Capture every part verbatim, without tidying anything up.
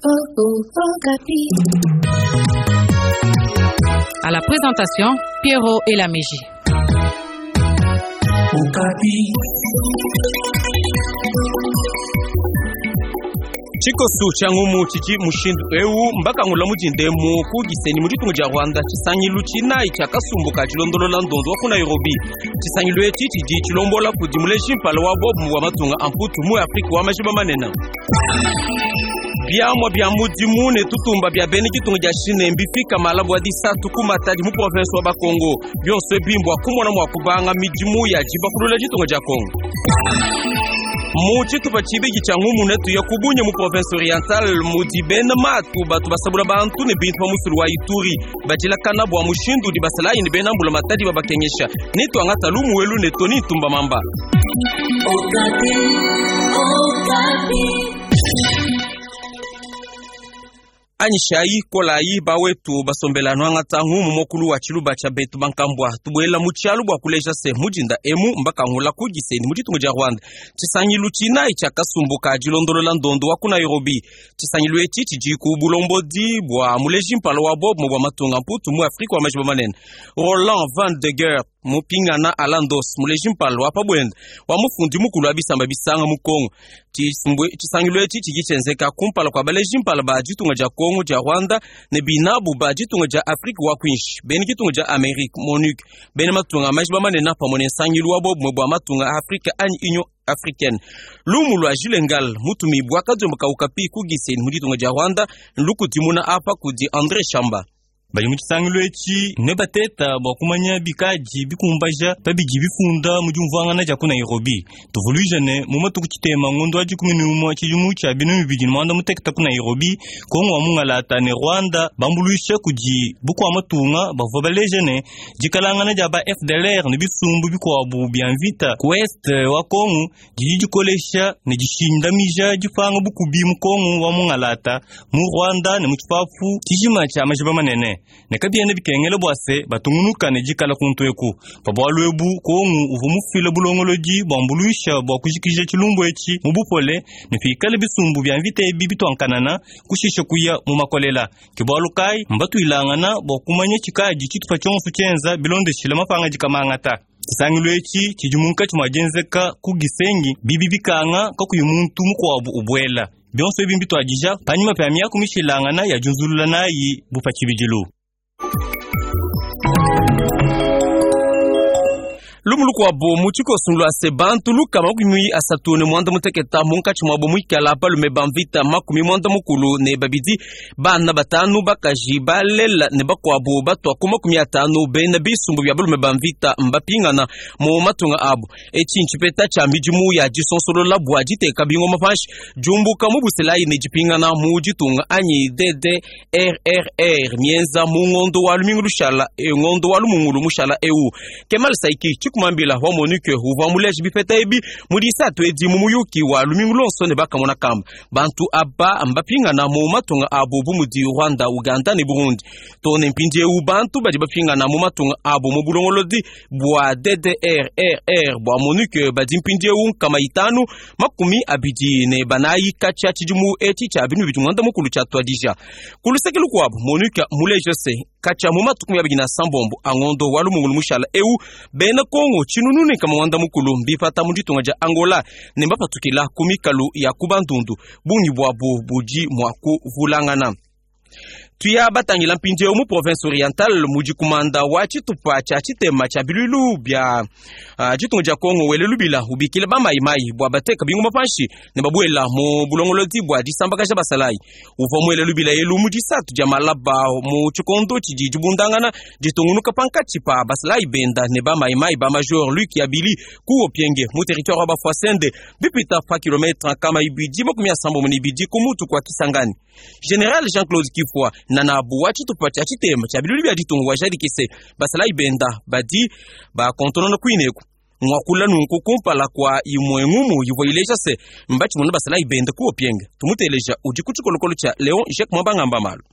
À la présentation, Pierrot Elameji. Tshikosu tshia ngumu tshidi mushindu eu mbakangula mudindemu ku Gisenyi mu ditunga dia Rwanda tshisangilu tshinayi tshia kasumbu ka tshilondolola ndondo wa ku Nairobi. Tshisangilu etshi tshidi tshilombola kudi muleji mpala wa bobu wa matunga a mputu mu Afrika wa majiba manene. Biamwa bia mudimu ne tutumba bia bena ditunga dia Chine mbifika malabu wa disatu ku Matadi mu province wa Bakongo. Bionso ebi mbua kumona mua kubanga midimu ya dibakulula ditunga dia Kongo. Mu tshitupa tshibidi tshia ngumu netu ya kubunya mu province orientale mudi bena matu batu basabula bantu ne bintu pa musulu wa Ituri badilakana bua mushindu udi basalayi ne bena mbula matadi babakengesha. Netuangata lumu elu ne Tony Ntumba Mamba. Anyishayi kolayi bawetu basombela nwangata ngumu mokulu wa tshiluba tshia betu bankambua tubuela mu tshialu bua kuleja se mudinda emu mbakangula ku Gisenyi mu ditunga dia Rwanda. Tshisangilu tshinayi tshia kasumbu ka tshilondolola ndondo wa ku Nairobi. Tshisangilu etshi tshidi ku bulombodi bua muleji mpala wa bobu bua matunga mputu mu Afrika wa majiba manene Roland Van de Geer mupingana Alandos muleji mpala wa pabwenda wa mufundi mukulu wa bisamba bisanga mu Kongo. Tshisangilu etshi tshidi tshienzeka kumpala kua baleji mpala ba ditunga dia Kongo dia Rwanda ne binabu ba ditunga dia Afrika wa kwinshi bena ditunga dia Amerika MONUC bena matunga majiba manene pamwe ne nsangilu wa bobumwe bua matunga a Afrika anyi Union africaine. Lumu lua Jules Ngal mutumibwa kadiomba ka Okapi ku Gisenyi mu ditunga dia Rwanda lukudimuna apa kudi André Shamba. Bali mu tshisangilu etshi ne bateta bua kumanya bikadi bikumbaja pabidi bifunda mu diumvuangana dia ku Nairobi. Tuvuluija ne mu matuku tshitema ngondo wa dikumi ne umue tshidimu tshia binunu bibidi ne muanda mutekete ku Nairobi, Kongo wa mungalata ne Rwanda bambuluisha kudi bukua matunga bavua baleja ne dikalangana dia ba F D L R ne bisumbu bikuabu bia mvita ku est wa Kongo didi dikolesha ne dishindamija dipanga bukubi mu Kongo wa mungalata mu Rwanda ne mu tshipapu tshijima tshia majiba manene. Ne kabiena bikengela bua se batungunuka ne dikala kuntu eku. Pa bualu ebu Kongo uvua mufile bulongolodi buambuluisha bua kujikija tshilumbu etshi mu bupole ne pikale bisumbu bia mvita ebi bituankanana kushisha kuya mu makolela. Ke bualu kayi mbatuilangana bua kumanya tshikadi tshitupa tshionso tshienza bilondeshile mapanga dikamangata. Tshisangilu etshi tshidi munkatshi mua dienzeka ku Gisenyi bibi bikanga kakuyi muntu mukuabu ubuela. Bionso ebi mbituadija panyima pa miaku mishilangana ya diunzulula nayi bu pa tshibidilu. Lumu lukuabu mu tshikosu lua se bantu lukama makumi asatu ne muanda mutekete munkatshi muabo muikala balume ba mvita makumi muanda mukulu ne babidi bana batanu bakaji balela ne bakuabu batua ku makumi atanu bena bisumbu bia balume ba mvita mbapingana mu matunga abu. Etshi ntshipeta tshia midimu ya disonsolola bua diteka bingoma panshi diumbuka mu buselayi ne dipingana mu ditunga anyi D D R R R mienza mu ngondo wa lumingu lushala ngondo wa lumungulu mushala eu. Kemal Saiki kumambila wa MONUC uvua muleji bipeta ebi mu disatu edi mu muyuki wa lumingu lonso ne bakamona kamba bantu aba mbapingana mu matunga abu bu mudi Rwanda, Uganda ne Burundi. Tone mpindiewu bantu badi bapingana mu matunga abu mu bulongolodi bua D D R R R bua MONUC badi mpindiewu nkama itanu makumi abidi ne banayi katshia tshidimu etshi tshia binu bidi muanda mukulu tshia tuadija. Ku luseke lukuabu MONUC muleje se katshia mu matuku abidi na sambombo angondo wa lumungulu mushala eu bena Kongo tshinunu ne kama muanda mukulu mbipata mu ditunga dia Angola ne mbapatukila ku mikalu ya ku Bandundu bungi buabu budi mua kuvulangana. Tuya batangila mpindiewu mu province orientale mudi kumanda wa tshitupa tshia tshitema tshia bilulu bia uh, ditunga dia Kongo wele lubila ubikila ba mayimayi bua bateka bingoma panshi ne babuela mu bulongolodi bua disambakaja basalayi. Uvua muele lubila elu mu disatu dia malaba mu tshikondo tshidi dibundangana ditungunuka pankatshi pa basalayi benda ne ba mayimayi ba major Luc Yabili ku Opienge mu territoire wa Bafwasende bipita pa kilometre kama ibidi makumi asambombo ne ibidi ku mutu kwa Kisangani. General Jean-Claude Kifwa nanabu wa tshitupa tshia tshitema tshia bilulu bia ditunga wa jadikise basalayi benda badi bakontonona kuineku mwakula nunku kumpala kwa imwe ngumu yivua ileja se mbatshimuna basalayi benda ku Opienge. Tumuteleja udi ku tshikolokolo tshia Leon Jacques Mwabangamba Malu.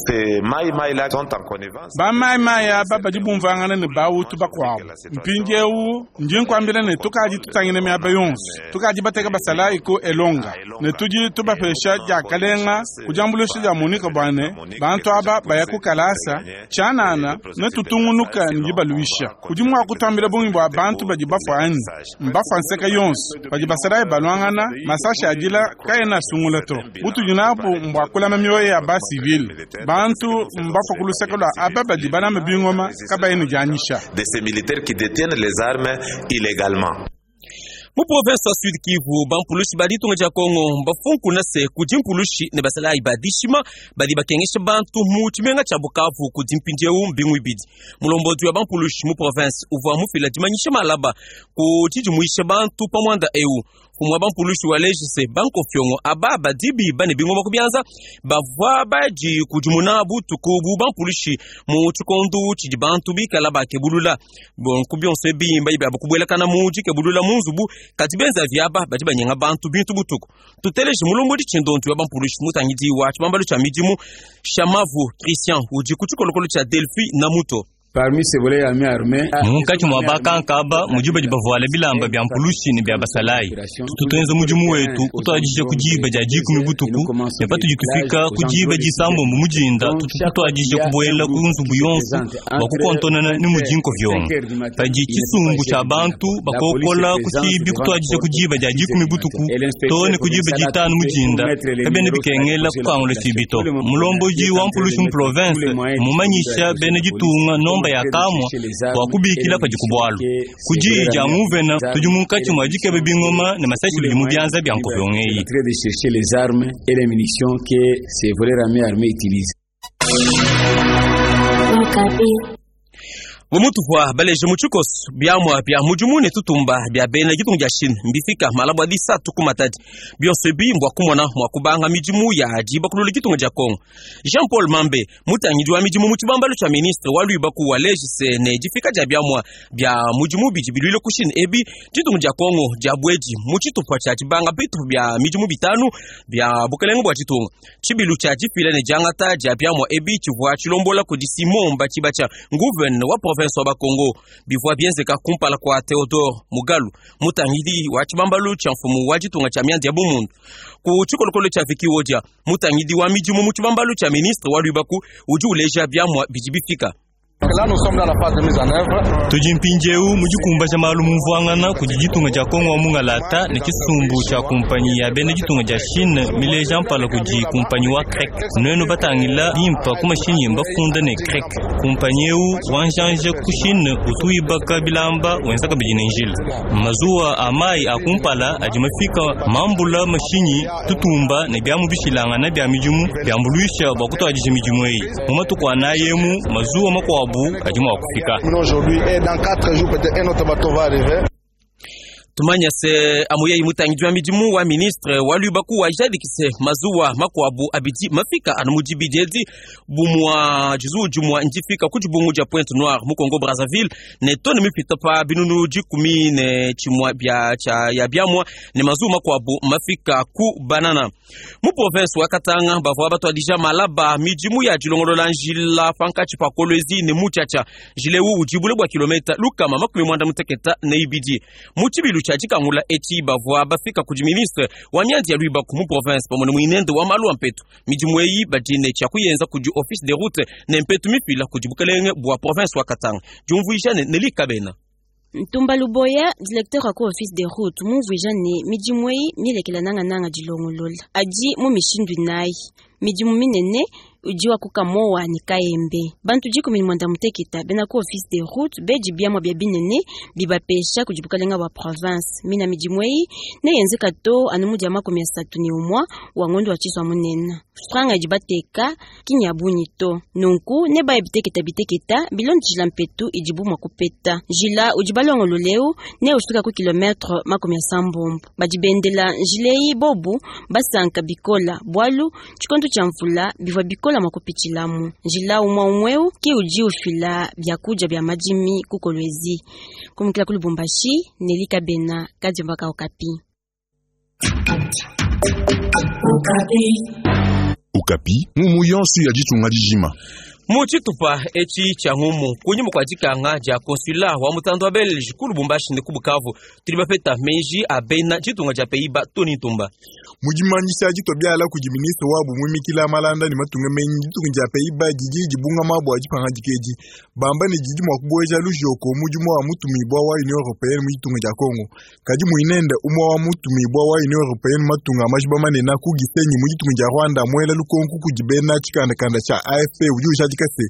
Ces Maï-Maï là sont en connivence. Ba Maï-Maï aba badi bumvangana ne Bahutu bakuabu. Mpindiewu ndi nkuambila ne tukadi tutangile miaba yonso, tukadi bateka basalayi ku Elonga ne tudi tubapesha diakalenga ku diambuluisha dia MONUC bua ne bantu aba baya ku kalasa tshianana ne tutungunuka ne dibaluisha. Udi mua kutuambila bungi bua bantu badi bafua anyi? Mbafua nseka yonso badi basalayi baluangana, masashi adila kaena asungula to. Butudi nabu mbua kulama mioyo ya ba civile. Bantu mbafua ku luseke lua aba badi balama bingoma kabayi ne dianyisha. De ces militaires qui détiennent les armes illégalement. Mu province wa Sud Kivu, bampulushi ba ditunga dia Kongo mbafunkuna se kudi mpulushi ne basalayi ba dishima badi bakengesha bantu mu tshimenga tshia Bukavu kudi mpindiewu mbingu ibidi. Mulombodi wa bampulushi mu province uvua mufila dimanyisha malaba ku tshidimuisha bantu pa muanda eu. Kumwa bampulushi wa lejise bankofyongo aba badibi bane bingoma kubianza bavua baji kudimuna butuku bu bampulushi mu tshikondo tshidi bantu bikala bakebulula. Bon kubionso ebi mbayi bya kubwelakana mu dikebulula mu nzubu kadi benza vyaba badi banyenga bantu bintu butuku. Tuteleje mulombodi tshindontu wa bampulushi mutangidi wa tshibambalu tshia midimu Shamavu Christian udi ku tshikolokolo tshia Delphi na Muto. Parmi ces volets armés armés, munkatshi mua bakankaba mudi badi bavuala bilamba bia mpulushi ne bia basalayi. Tutuenza mudimu wetu kutuadija ku diba dia dikumi butuku ne patudi tufika ku diba disambombo mudinda tutuadija kubuela ku nzubu yonso bua kukontonana ne mudi nkovyongo. Padi tshisumbu tshia bantu bakokola ku tshibi kutuadija ku diba dia dikumi butuku to ne ku diba ditanu mudinda kabena bikengela kukangula tshibi to. Mulombodi wa mpulushi mu province mumanyisha bena ditunga nomba ya kamwa bua kubikila padi ku bwalu. Ku diyi dia nguvena tudi munkatshi mua dikeba bingoma ne masashi bidi mu bianza bia nkovyongo eyi. En train de chercher les armes et les munitions que ces voleurs armés armés utilisent. Mumutuvua baleje mu tshikoso biamua bia mudimu ne tutumba bia bena ditunga dia Chine mbifika malabwa disatu ku Matadi. Bionso ebi mbua kumona mua kubanga midimu ya dibakulula ditunga dia Kongo. Jean Paul Mambe mutangidi wa midimu mu tshibambalu tshia ministre wa luibaku wa lejise ne difika dia biamua bia mudimu bidi biluile ku Chine ebi ditunga dia Kongo dia bwedi mu tshitupa tshia dibanga bitu bia midimu bitanu bia bukelenge bua ditunga. Tshibilu tshia difila ne diangata dia biamua ebi tshivua tshilombola kudi Simon Mbatshibatsha nguvene wa province wa Kongo bivua bienzeka kumpala kwa Theodore Mugalu mutangidi wa tshibambalu tshia mfumu wa ditunga tshia mianda ya bumundu. Ku tshikolokolo tshia Vicky Wodia mutangidi wa midimu mu tshibambalu tshia ministre wa luibaku udi uleja biamua bidi bifika. Tudi mpindiewu mu dikumbaja malu mumvuangana kudi ditunga dia Kongo wa mungalata ne tshisumbu tshia kumpanyi ya bena ditunga dia Chine mileja mpala kudi kumpanyi wa CREC. Nuenu batangila bimpa ku mashinyi mbafunda ne CREC. Kumpanyi eu wanjanja ku Chine utuibaka bilamba wenza kabidi ne njila. Mazuwa a mayi a kumpala adi mafika mambula mashinyi tutumba ne biamu bishilangana bia midimu biambuluisha bua kutuadija midimu eyi. Mu matuku anayi emu mazuwa makuabu adi mua kufika. Aujourd'hui et dans quatre jours peut-être un autre bateau va arriver. Tumanya se amuyeyi mutangidi wa midimu wa ministre wa luibaku wa jadikise mazuwa makuabu abidi mafika anu mudibidi edi bumua jizu jumua ndifika ku dibungu dia Pointe Noire mu Congo Brazzaville ne tone mipita pa binunu dikumi ne tshimua bia tshia ya biamua ne mazuwa makuabu mafika ku Banana. Mu province wa Katanga bavua batuadija malaba midimu ya dilongolola njila pankatshi pa Kolwezi ne Mutshatsha njila ewu udi bule bua kilomita lukama makumi muanda muteketa ne ibidi. Mu tshibilu tshia dikangula etshi bavua bafika kudi ministre wa mianda ya luibaku mu province pamue ne muinende wa malu a mpetu. Midimu eyi badi ne tshia kuyenza kudi office de route ne mpetu mifila kudi bukelenge bua province wa Katanga. Diumvuija ne Nelly Kabena. Ntumba Luboya, directeur wa ku office de route mumvuija ne midimu eyi milekela nangananga dilongolola adi mu mishindu inayi. Midimu minene udi wa kukamowa ne kayembe. Bantu dikumi ne muanda muteketa bena ku office de route beji biamua bia binene bibapesha kudi bukalenga bua province. Mina midimu eyi neyenzeka to anu mudi ya makumi asatu ne umua wa ngondo wa tshisua munene. Franga idi bateka kinya bunyi to. Nunku nebaye biteketa biteketa bilondeshila mpetu idibu mua kupeta. Njila udi balongololeu ne ufika ku kilometre makumi asambombo. Badi bendela njila eyi bobu basanka bikola bwalu tshikondo tshia mvula bivua bikola mua kupitshilamu. Njila umua umweu ke udi ufila biakudia bia madimi ku Kolwezi. Kumukila ku Lubumbashi, Nelly Kabena, Kadiomba ka Okapi. Okapi. Okapi ngumu yonso ya ditunga dijima. Mu tshitupa etshi tshia ngumu kunyima kua dikanga dia consulat wa mutanda wa Belge ku Lubumbashi ne ku Bukavu tudi bapeta meji a bena ditunga dia Pays-Bas Tony Ntumba. Mu dimanyisha ditua biala kudi ministre wabu muimikila malanda ne matunga menyi ditunga dia Pays-Bas didi dibungama bua dipangadika edi bamba ne didi mua kubueja lujoko mudimu wa mutumibua wa Union Européenne mu ditunga dia Congo. Kadi muinende umue wa mutumibua wa Union Européenne matunga majiba manene ku Gisenyi mu ditunga dia Rwanda muela lukonko kudi bena tshikandakanda tshia A F P udi ujadika se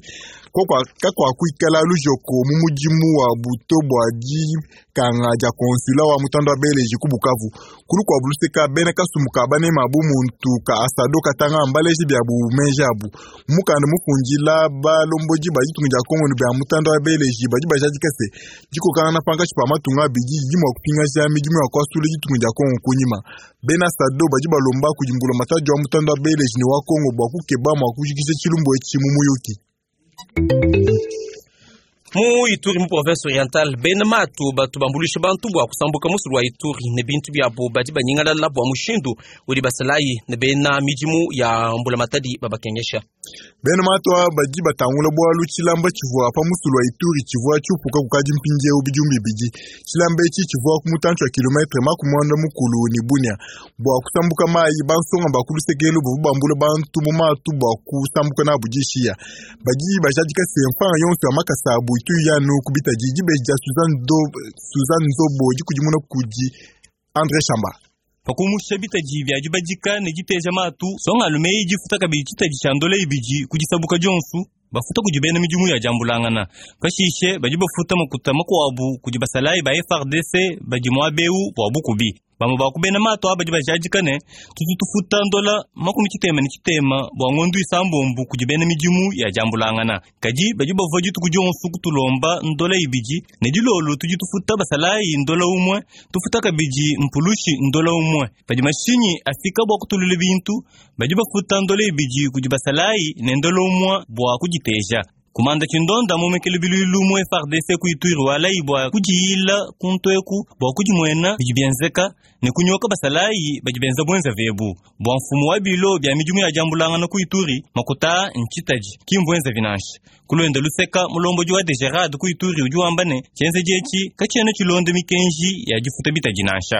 kakwakuikala lujoko mu mudimu wa buto bua dikanga dia consulat wa mutanda wa Belge ku Bukavu. Kulu kua buluseka bena kasumbu ka banema bu muntu ka asado katanga mbaleji bya bu menja abu mukanda mufundila balombodi ba ditunga dia Congo ne bya mutanda wa Belge badi bajadika se dikokana na pankatshi pa matunga abidi didi mua kupingaja midimu ya kuasula ditunga dia Congo kunyima. Bena sado badi balomba kudi mbulamatadi wa mutanda wa Belge ne wa Congo bua kukeba mua kujikija tshilumbu etshi mu muyuki. Mu Ituri mu province orientale bena matu batu bambulisha bantu bua kusambuka musulu wa Ituri ne bintu byabo badi banyingalala bua mushindu udi basalayi ne bena midimu ya mbulamatadi babakengesha. Bena matu badi batangula bwalu tshilamba tshivua pa musulu wa Ituri tshivua tshiupuka kukadi mpindieu bidimu bibidi. Tshilamba etshi tshivua ku mutantshi wa kilometre makumi muanda mukulu ne Bunia. Bua kusambuka mayi bansonga ba ku lusekelu bavua bambula bantu mu matu bua kusambuka nabu dishiya. Badi bajadika se mfanga yonso ya makasa abu itu yanu kubita didi beja Suzanne Do Suzanne Nzobo dikudimuna kudi André Chamba. Pakumusha bitaji bya dibadika ne diteja matu songa lumeyi difuta kabidi tshitaji tshia ndola ibidi kudisabuka dionsu bafuta kudi bena midimu ya diambulangana. Pashishe badi bafuta makuta makuabu kudi basalayi ba F R D C badi muabeu bua bukubi. Bamwe bakubena mato abadi bajadika ne tutu tufuta ndola makumi tshitema ne tshitema bua ngondu isambombu kudi bena midimu ya diambulangana. Kadi badi bavua dituku dionsu kutulomba ndola ibidi ne dilolo tudi tufuta basalayi ndola umwe tufuta kabidi mpulushi ndola umwe. Padi mashinyi afika bua kutulula bintu badi bafuta ndola ibidi kudi basalayi ne ndola umwe bua kuditeja. Kumanda tshindonda mumekele bilulu mu F R D C ku Ituri walayi bua kudiyila kuntweku bua kudimuena bidi bienzeka ne kunyoka basalayi badi benza bwenza vebu. Bua mfumu wa bilo bya midimu ya diambulangana ku Ituri makuta ntshitaji kimbwenza vinanshi. Kulwenda luseka mulombodi wa Degerade ku Ituri udi wamba ne tshienze dietshi katshiena tshilonda mikenji ya difuta bitaji nansha.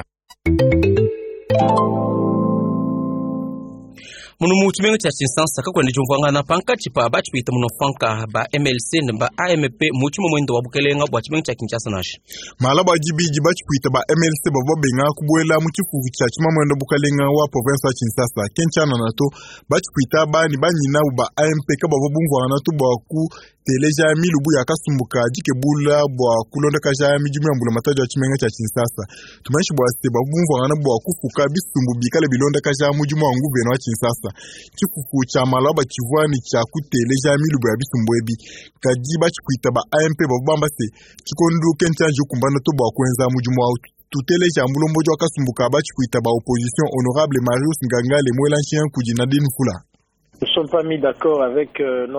Munu mu tshimenga tshia Tshinsansa kakwenda diumvuangana pankatshi pa batshipita muno mfanka ba M L C ne ba A M P mu tshimue muendo wa bukelenga bua tshimenga tshia Kinshasa nansha. Mala ba dibidi batshipita ba M L C bavua benga kubuela mu tshifufu tshia tshimamwendo bukalenga wa province wa Kinshasa kentshiana nato batshipita bani banyina ba A M P kabavua bumvuangana to bua ku teleja milubu ya kasumbuka dikebula bua kulondakaja midimu ya mbulamatadi wa tshimenga tshia Kinshasa. Tumanyishi bua se bavumvuangana bua kufuka bisumbu bikale bilondakaja mudimu wa nguvena wa Kinshasa. Tshifufu tshia malaba tshivua ne tshia kuteleja milubu ya bisumbu ebi. Kadi batshipita ba A M P bavua bamba se tshikondu kentshianji kumbana to bua kuenza mudimu wa tuteleja mulombodi wa kasumbuka batshipita ba opposition honorable Marius Ngangale mwela nshien kudi Nadine Fula.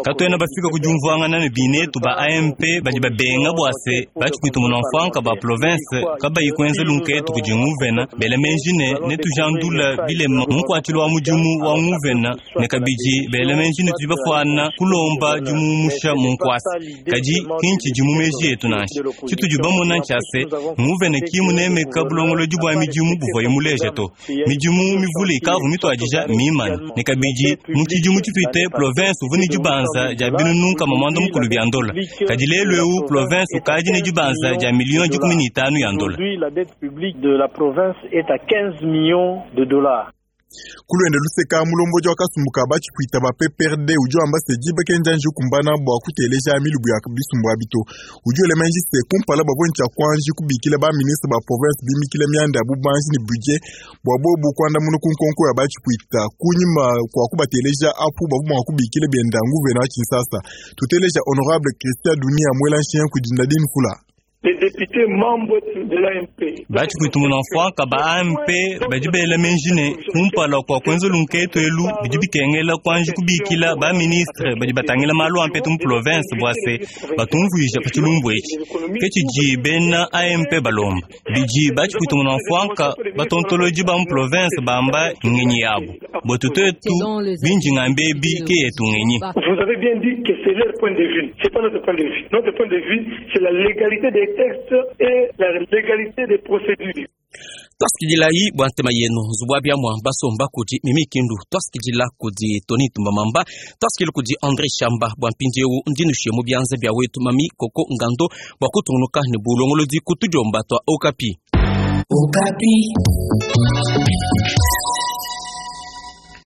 Katuena bafika kudiumvuangana ne binetu ba A M P badi babenga bua se batshikuita munomfanka ba province kabayi kuenza lunketu kudi nguvena bela menji ne netujandula bilema munkuatshilo wa mudimu wa nguvena ne kabidi bela menji ne tudi bafuana kulomba dimumusha munkuasa. Kadi kintshi dimu meji etu nansha tshitudi bamona ntshia se nguvena kimunemeka bulongolodi bua midimu buvuaye muleja to midimu mivule ikavu mituadija mimana ne kabidi mu tshipite province uvuni dibanza dia binunu kama mwanda mukulu bya ndola. Kadi lelu eu province ukadi ne dibanza dia million dikumi ne itanu ya ndola. La dette publique de la province est à quinze millions de dollars. Kulwende luseka mulombodi wa kasumbuka batshipita ba P P R D udi wamba se diba kenjanji kumbana bua kuteleja milubu ya bisumbu abito. Udi ulemenji se kumpala bavua ntshia kuanji kubikila ba ministre ba province bimikila mianda ya bubanji ne budget bua bobu kuandamuna ku nkonko ya batshipita kunyima kwa kubateleja apu bavua mua kubikila bienda nguvena wa Kinshasa. Tuteleja honorable Christian Dunia mwela nshien kudi Nadine Fula. Les députés membres de l'A M P. Bachikwita mfwanka ba A M P badi bela menjine kumpala kwa kwenza lunketo elu bidi bikengela kwanji kubikila ba ministre badi batangila malu ampe mu province bwase batumvuisha pa chilumbu echi kechiji bena A M P balomba biji bachikwita mfwanka batontoloji ba mu province bamba ngenyi yabo botutetu binji ngambebi ke yetu ngenyi. Vous avez bien dit que c'est leur point de vue, c'est pas notre point de vue. Notre point de vue, c'est la légalité des textes et la légalité des procédures. Twasikililayi bwa ntema yenu zubwa bya mwamba somba kudi Mimi Kindu, twasikilila kudi Tony Tumbamamba, twasikili kudi André Shamba bwa mpindieu ndinushe mu byanza bya wetu Mami Koko Ngando bwa kutungunuka ne bulongolodi kutujomba twa Okapi. Okapi.